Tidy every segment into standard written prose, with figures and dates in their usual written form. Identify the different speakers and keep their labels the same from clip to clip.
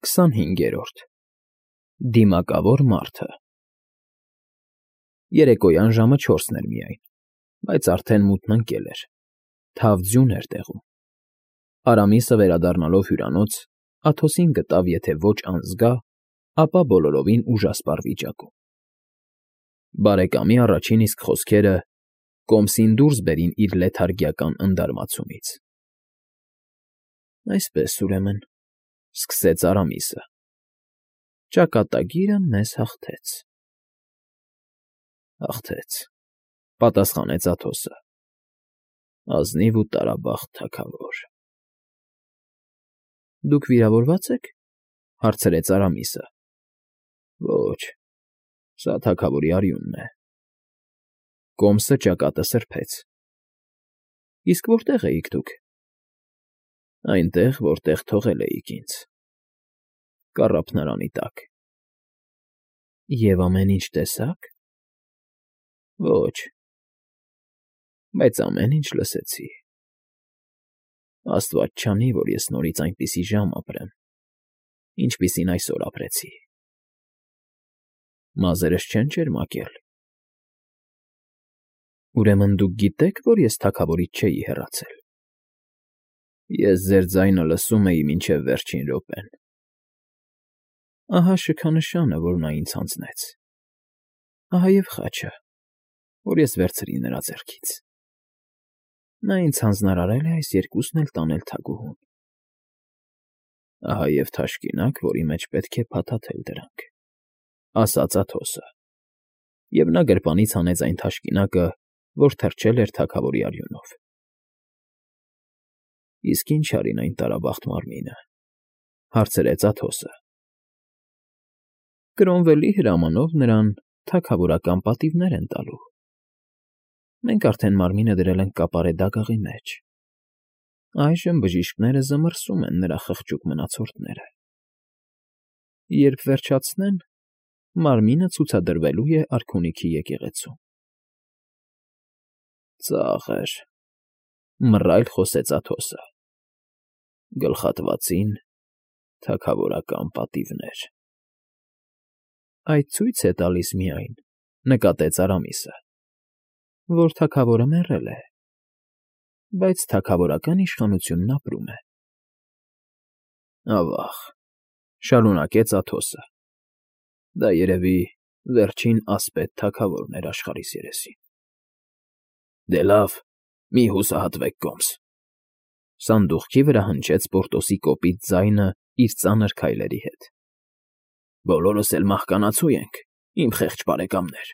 Speaker 1: 25-րդ Դիմակավոր մարդը Երեկոյան ժամը 4-ն էր միայն, բայց արդեն մութն ընկել էր, թավ ձյուն էր տեղում։ Արամիսը վերադառնալով հյուրանոց, Աթոսին գտավ եթե ոչ անզգա, ապա բոլորովին ուժասպառ վիճակում։ Բարեկամի առաջին իսկ խոսքերը կոմսին դուրս բերին իր լեթարգիական ընդարմացումից։ Այսպես, ուրեմն, սկսեց Արամիսը, ճակատագիրը մեզ հաղթեց։ Հաղթեց, պատասխանեց Աթոսը, ազնիվ ու տարաբախտ թագավոր։ Դուք վիրավորվա՞ծ եք, հարցրեց Արամիսը։ Ոչ, սա թագավորի արյունն է։ Կոմսը ճակատը սրբեց։ Իսկ որտեղ էիք դուք։ Այնտեղ, որտեղ թողել էիք ինձ, կառափնարանի տակ։ Եվ ամեն ինչ տեսա՞ք։ Ոչ, բայց ամեն ինչ լսեցի։ Աստված չանի, որ ես նորից այնպիսի ժամ ապրեմ, ինչպիսին այսօր ապրեցի։ Մազերս չեն ճերմակել։ Ուրեմն դուք գիտեք, որ ես թագավորից չէի հեռացել։ Ես ձեր ձայնը լսում էի մինչև վերջին րոպեն։ Ահա շքանշանը, որ նա ինձ հանձնեց։ Ահա և խաչը, որ ես վերցրի նրա ձեռքից։ Նա ինձ հանձնարարել է այս երկուսն էլ տանել թագուհուն։ Ահա և թաշկինակ, որի մեջ պետք է փաթաթել դրանք, ասաց Աթոսը, և նա գրպանից հանեց այն թաշկինակը, որ թրջել էր թագավորի արյունով։ Իսկ ինչ արին այն տարաբախտ մարմինը, հարցրեց Աթոսը։ Կրոնվելի հրամանով նրան թագավորական պատիվներ են տալու։ Մենք արդեն մարմինը դրել ենք կապարե դագաղի մեջ։ Այժմ բժիշկները զմռսում են նրա խղճուկ մնացորդները։ Երբ վերջացնեն, մարմինը ցուցադրվելու է արքունիքի եկեղեցում։ Ծաղր, մռայլ խոսեց Աթոսը։ Գլխատվացին թագավորական պատիվներ։ Այդ ցույց է տալիս միայն, նկատեց Արամիսը, որ թագավորը մեռել է, բայց թագավորական իշխանությունն ապրում է։ Ավաղ, շարունակեց Աթոսը, դա երևի վերջին ասպետ թագավորն էր աշխարհիս երեսին։ Դե լավ, մի հուսահատվեք կոմս։ Սանդուղքի վրա հնչեց Պորտոսի կոպիտ ձայնը իր ծանր քայլերի հետ։ Բոլորս էլ մահկանացու ենք, իմ խեղճ բարեկամներ։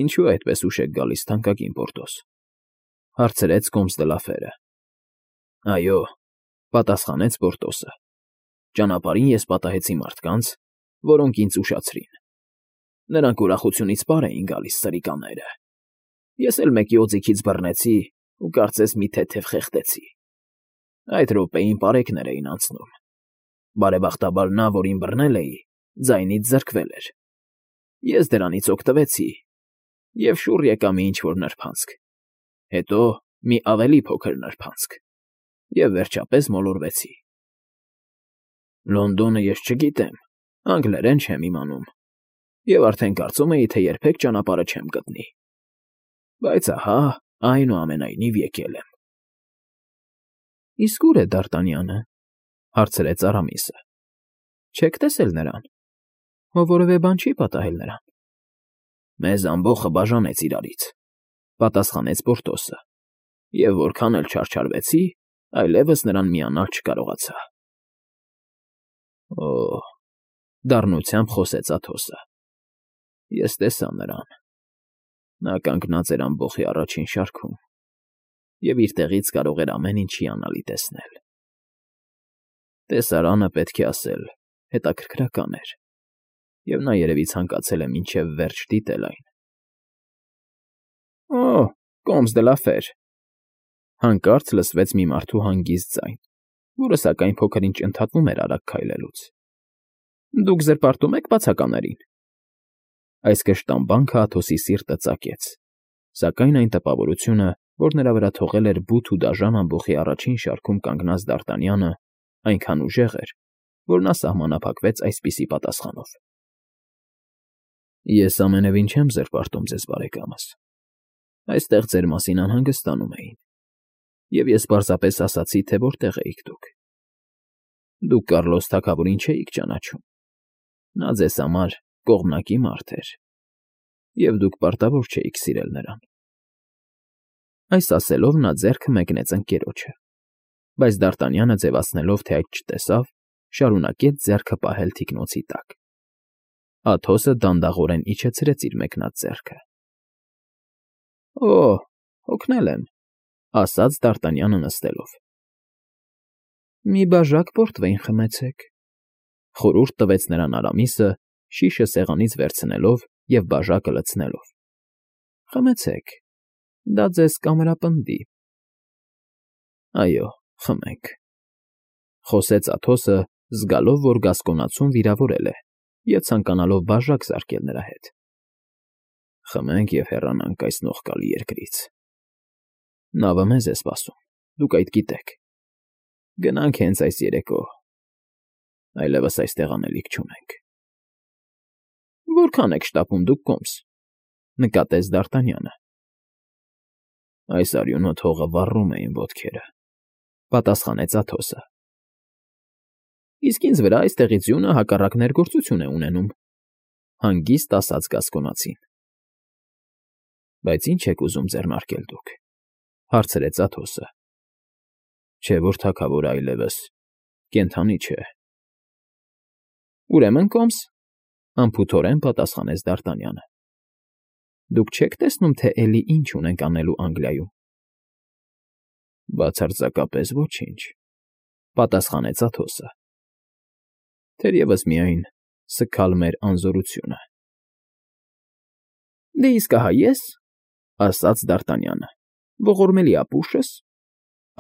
Speaker 1: Ինչու այդպես ուշ եք գալիս, թանկագին Պորտոս, հարցրեց կոմս դը Լաֆերը։ Այո, պատասխանեց Պորտոսը, ճանապարհին ես պատահեցի մարդկանց, որոնք ինձ ուշացրին։ Նրանք ուրախությունից պար էին գալիս սրիկաները։ Ես էլ մեկի օձիքից բռնեցի ու կարծես մի թեթև խեղդեցի։ Այդ րոպեին պարեկներ էին անցնում։ Բարեբախտաբար նա, որին բռնել էի, ձայնից զրկվել էր։ Ես դրանից օգտվեցի և շուռ եկա մի ինչ֊որ նրբանցք, հետո մի ավելի փոքր նրբանցք և վերջապես մոլորվեցի։ Լոնդոնը ես չգիտեմ, անգլերեն չեմ իմանում և արդեն կարծում էի, թե երբեք ճանապարհը չեմ գտնի։ Բայց ահա, այնուամենայնիվ եկել եմ։ Իսկ ուր է Դարտանյանը, հարցրեց Արամիսը։ Չեք տեսել նրան։ Ո որևէ բան չի պատահել նրան։ Մեզ ամբոխը բաժանեց իրարից, պատասխանեց Պորտոսը, և որքան էլ չարչարվեցի, այլևս նրան միանալ չկարողացա։ Օ, դառնությամբ խոսեց Աթոսը։ Ես տեսա նրան։ Նա կանգնած էր ամբոխի առաջին շարքում և իր տեղից կարող էր ամեն ինչ հիանալի տեսնել։ Տեսարանը, պետք է ասել, հետաքրքրական էր, և նա երևի ցանկացել է մինչև վերջ դիտել այն։ Օ, կոմս դը Լաֆեր… Հանկարծ լսվեց մի մարդու հանգիստ ձայն, որը սակայն փոքր֊ինչ ընդհատվում էր արագ քայլելուց։ Դուք զրպարտում եք բացականերին։ Այս կշտամբանքը Աթոսի սիրտը ծակեց, սակայն այն տպավորությունը, որ նրա վրա թողել էր բութ ու դաժան ամբոխի առաջին շարքում կանգնած Դարտանյանը, այնքան ուժեղ էր, որ նա սահմանափակվեց այսպիսի պատասխանով։ Ես ամենևին չեմ զրպարտում ձեզ, բարեկամս, այստեղ ձեր մասին անհանգստանում էին, և ես պարզապես ասացի, թե որտեղ էիք դուք։ Դուք Կառլոս թագավորին չէիք ճանաչում, նա ձեզ համար կողմնակի մարդ էր, և դուք պարտավոր չէիք սիրել նրան։ Այս ասելով նա ձեռքը մեկնեց ընկերոջը, բայց Դարտանյանը ձևացնելով, թե այդ չտեսավ, շարունակեց ձեռքը պահել թիկնոցի տակ։ Աթոսը դանդաղորեն իջեցրեց իր մեկնած ձեռքը։ Օ, հոգնել եմ, ասաց Դարտանյանը նստելով։ Մի բաժակ պորտվեյն խմեցեք, խորհուրդ տվեց նրան Արամիսը, շիշը սեղանից վերցնելով և բաժակը լցնելով։ Խմեցեք, դա ձեզ կամրապնդի։ Այո, խմենք, խոսեց Աթոսը, զգալով, որ գասկոնացուն վիրավորել է և ցանկանալով բաժակ զարկել նրա հետ։ Խմենք և հեռանանք այս նողկալի երկրից։ Նավը մեզ է սպասում, դուք այդ գիտեք։ Գնանք հենց այս երեկո, այլևս այստեղ անելիք չունենք։ Որքան եք շտապում դուք կոմս, նկատեց Դարտանյանը։ Այս արյունոտ հողը վառում է իմ ոտքերը, պատասխանեց Աթոսը։ Իսկ ինձ վրա այստեղից ձյունը հակառակ ներգործություն է ունենում, հանգիստ ասաց գասկոնացին։ Բայց ինչ եք ուզում ձեռնարկել դուք, հարցրեց Աթոսը։ Չէ որ թագավորը այլևս կենդանի չէ։ Ուրեմն կոմս, անփութորեն պատասխանեց Դարտանյանը։ Դուք չեք տեսնում, թե էլի ինչ ունենք անելու Անգլիայում։ Բացարձակապես ոչինչ, պատասխանեց Աթոսը։ Թերևս միայն սգալ մեր անզորությունը։ Դե իսկ ահա ես, ասաց Դարտանյանը, ողորմելի ապուշս,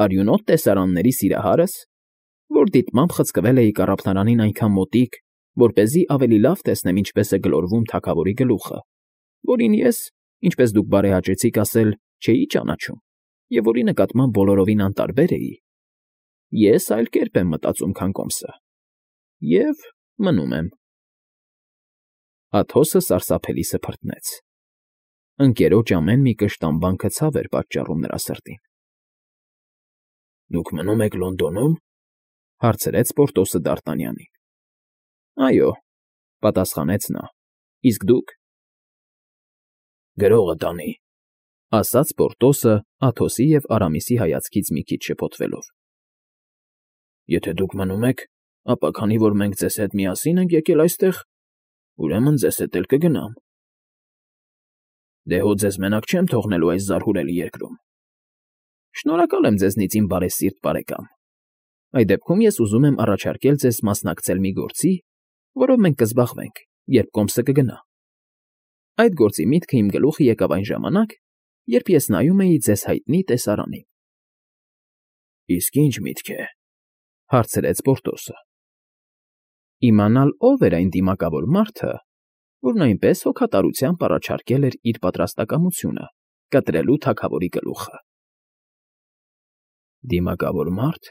Speaker 1: արյունոտ տեսարանների սիրահարս, որ դիտմամբ խցկվել էի կառափնարանին այնքան մոտիկ, որպեսզի ավելի լավ տեսնեմ ինչպես է գլորվում թագավորի գլուխը, որին ես, ինչպես դուք բարեհաճեցիք ասել, չէի ճանաչում, և որի նկատմամբ բոլորովին անտարբեր էի, ես այլ կերպ եմ մտածում, քան կոմսը, և մնում եմ։ Աթոսը սարսափելի սփռտնեց։ Ընկերոջ ամեն մի կշտամբանքը ցավ էր պատճառում նրա սրտին։ Դուք մնում եք Լոնդոնում, հարցրեց Պորտոսը Դարտանյանին։ Այո, պատասխանեց նա, իսկ դուք։ Գրողը տանի, ասաց Պորտոսը Աթոսի և Արամիսի հայացքից մի քիչ շփոթվելով։ Եթե դուք մնում եք, ապա քանի որ մենք ձեզ հետ միասին ենք եկել այստեղ, ուրեմն ձեզ հետ էլ կգնամ։ Դե հո ձեզ մենակ չեմ թողնելու այս զարհուրելի երկրում։ Շնորհակալ եմ ձեզնից, իմ բարեսիրտ բարեկամ։ Այդ դեպքում ես ուզում եմ առաջարկել ձեզ մասնակցել մի գործի, որով մենք կզբաղվենք, երբ կոմսը կգնա։ Այդ գործի միտքը իմ գլուխը եկավ այն ժամանակ, երբ ես նայում էի ձեզ հայտնի տեսարանին։ Իսկ ինչ միտք է, հարցրեց Պորտոսը։ Իմանալ ով էր այն դիմակավոր մարդը, որն այնպես հոգատարությամբ առաջարկել էր իր պատրաստակամությունը կտրելու թագավորի գլուխը։ Դիմակավոր մարդ,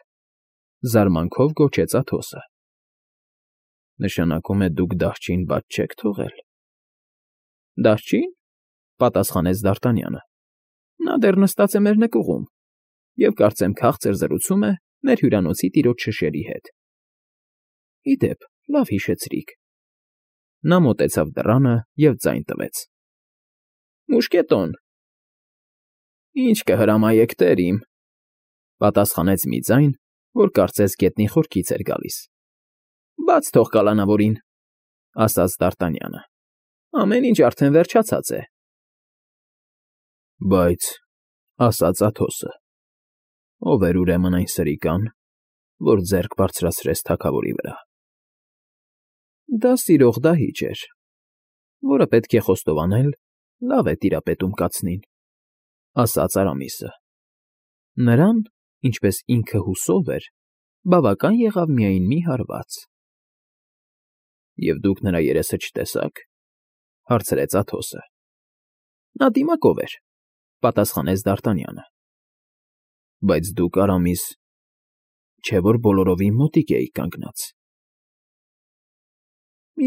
Speaker 1: զարմանքով գոչեց Աթոսը։ Նշանակում է դուք դահչին բաց չեք թողել։ Դահչին, պատասխանեց Դարտանյանը։ Նա դեռ նստած է մեր նկուղում և կարծեմ քաղցր զրուցում է մեր հյուրանոցի տիրոջ շշերի հետ։ Ի դեպ, լավ հիշեցրիք։ Նա մոտեցավ դռանը և ձայն տվեց։ Մուշկետոն։ Ինչ կհրամայեք, տեր իմ, պատասխանեց մի ձայն, որ կարծես գետնի խորքից էր գալիս։ Բաց թող կալանավորին, ասաց Դարտանյանը։ Ամեն ինչ արդեն վերջացած է։ Բայց, ասաց Աթոսը, ով էր ուրեմն այն սրիկան, որ ձեռք բարձրացրեց թագավորի վրա։ Դա սիրող դահիճ էր, որը պետք է խոստովանել, լավ է տիրապետում կացնին, ասաց Արամիսը։ Նրան, ինչպես ինքը հուսով էր, բավական եղավ միայն մի հարված։ Եվ դուք նրա երեսը չտեսաք, հարցրեց Աթոսը։ Նա դիմակով էր, պատասխանեց Դարտանյանը։ Բայց դուք, Արամիս, չէ որ բոլորովին մոտիկ էի կանգնած։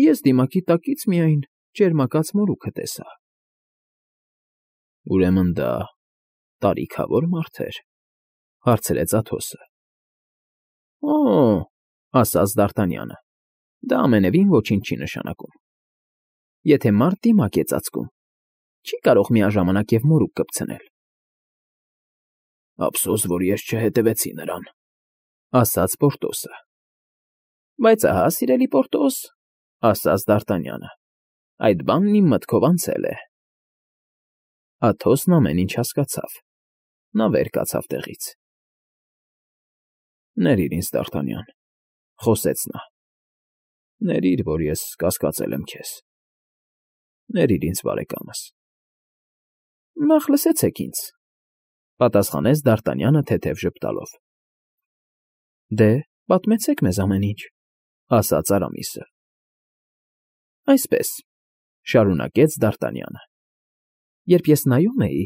Speaker 1: Ես դիմակի տակից միայն ճերմակած մորուքը տեսա։ Ուրեմն դա տարիքավոր մարդ էր, հարցրեց Աթոսը։ Օ, ասաց Դ'Արտանյանը, դա ամենևին ոչինչ չի նշանակում։ Եթե մարդ դիմակ է ծածկում, չի կարող միաժամանակ և մորուք կպցնել։ Ափսոս, որ ես չհետևեցի նրան, ասաց Պորտոսը։ Բայց ահա, սիրելի Պորտոս, ասաց Դ'Արտանյանը, այդ բանն իմ մտքով անցել է։ Աթոսն ամեն ինչ հասկացավ, նա վեր կացավ տեղից։ Ներիր ինձ, Դ'Արտանյան, խոսեց նա, ներիր, որ ես կասկածել եմ քեզ, ներիր ինձ, բարեկամս։ Նախ լսեցեք ինձ, պատասխանեց Դ'Արտանյանը թեթև ժպտալով։ Դե, պատմեցեք մեզ ամեն ինչ, ասաց Արամիսը։ Այսպես, շարունակեց Դ'Արտանյանը, երբ ես նայում էի,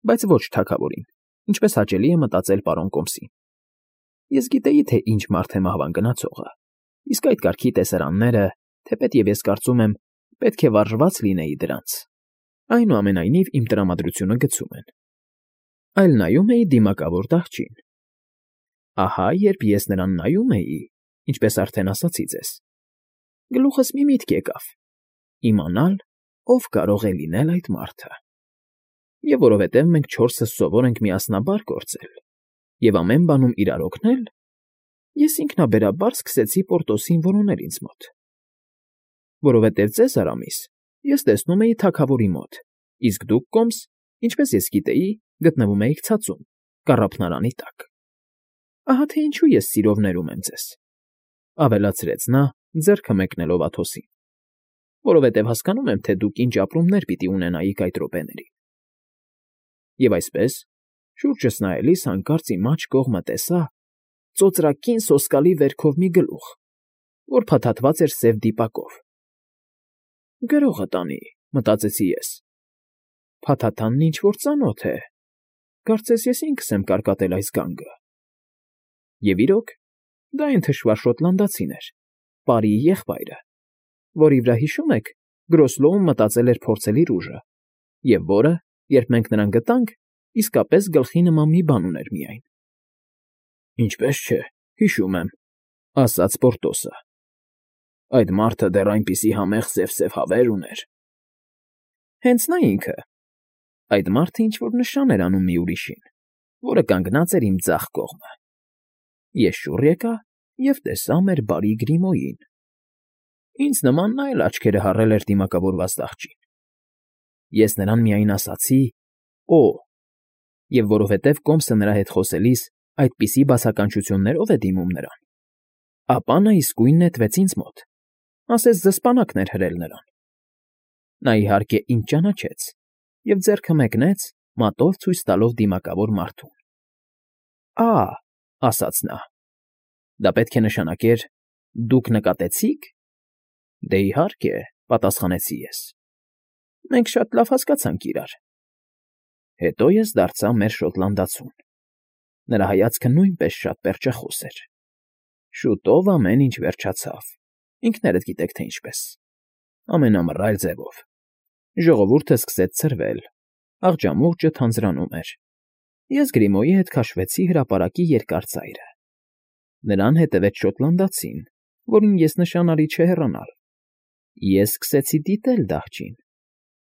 Speaker 1: բայց ոչ թագավորին, ինչպես հաճելի է մտածել պարոն Կոմսին, ես գիտեի, թե ինչ մարդ է մահվան գնացողը, իսկ այդ կարգի տեսարանները, թեպետև ես կարծում եմ, պետք է վարժված լինեի դրանց, այնուամենայնիվ իմ տրամադրությունը գցում են։ Այլ նայում էի դիմակավոր դահչին։ Ահա, երբ ես նրան նայում էի, ինչպես արդեն ասացի ձեզ, գլուխս մի միտք եկավ, իմանալ, ով կարող է լինել այդ մարդը։ Եվ որովհետև մենք չորսս սովոր ենք միասնաբար գործել և ամեն բանում իրար օգնել, ես ինքնաբերաբար սկսեցի Պորտոսին որոնել ինձ մոտ։ Որովհետև ձեզ, Արամիս, ես տեսնում էի թագավորի մոտ, իսկ դուք, Կոմս, ինչպես ես գիտեի, գտնվում էիք ցածում, կառափնարանի տակ։ Ահա թե ինչու ես սիրով ներում եմ ձեզ, ավելացրեց նա, ձեռքը մեկնելով Աթոսին, որովհետև հասկանում եմ, թե դուք ինչ ապրումներ պիտի ունենայիք այդ րոպեներին։ Եվ այսպես, շուրջս նայելիս հանկարծ իմ աջ կողմը տեսա ծոծրակին սոսկալի վերքով մի գլուխ, որ փաթաթված էր սև դիպակով։ Գրողը տանի, մտածեցի ես։ Փաթաթանն ինչ-որ ծանոթ է, կարծես ես ինքս եմ կարկատել այս գանգը։ Եվ իրոք, դա այն թշվառ շոտլանդացին էր, Պարիի եղբայրը, որի վրա, հիշում եք, Գրոսլոուն մտածել էր փորձել իր ուժը, և որը, երբ մենք նրան գտանք, իսկապես գլխի նման մի բան ուներ միայն։ Ինչպես չէ, հիշում եմ, ասաց Պորտոսը։ Այդ մարդը դեռ այնպիսի համեղ սև հավեր ուներ։ Հենց նա ինքը։ Այդ մարդը ինչ-որ նշան էր անում մի ուրիշին, որը կանգնած էր իմ ձախ կողմը։ Ես շուռ եկա և տեսա մեր բարի Գրիմոյին։ Ինձ նման նա էլ աչքերը հառել էր դիմակավորված դահչին։ Ես նրան միայն ասացի. «Օ», և որովհետև Կոմսը նրա հետ խոսելիս այդպիսի բացականչություններով է դիմում նրան, ապա նա իսկույն նետվեց ինձ մոտ, ասես զսպանակն էր հրել նրան։ Նա, իհարկե, ինձ ճանաչեց և ձեռքը մեկնեց, մատով ցույց տալով դիմակավոր մարդուն։ «Ա», ասաց նա, դա պետք է նշանակեր. «Դուք նկատեցի՞ք»։ Դե, իհարկե, պատասխանեցի ես։ Մենք շատ լավ հասկացանք իրար։ Հետո ես դարձա մեր շոտլանդացուն։ Նրա հայացքը նույնպես շատ պերճախոս էր։ Շուտով ամեն ինչ վերջացավ, ինքներդ գիտեք, թե ինչպես։ Ամենամռայլ ձևով։ Ժողովուրդը սկսեց ցրվել, աղջամուղջը թանձրանում էր։ Ես Գրիմոյի հետ քաշվեցի հրապարակի երկար ծայրը։ Նրան հետևեց շոտլանդացին, որին ես նշանալի չհեռանալ։ Ես սկսեցի դիտել դահչին,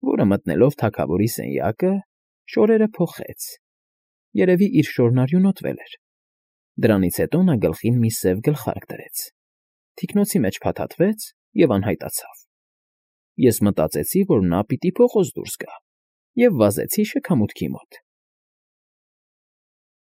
Speaker 1: որը մտնելով թագավորի սենյակը, շորերը փոխեց, երևի իր շորն արյունոտվել էր։ Դրանից հետո նա գլխին մի սև գլխարկ դրեց, թիկնոցի մեջ փաթաթվեց և անհայտացավ։ Ես մտածեցի, որ նա պիտի փողոց դուրս գա, և վազեցի շքամուտքի մոտ։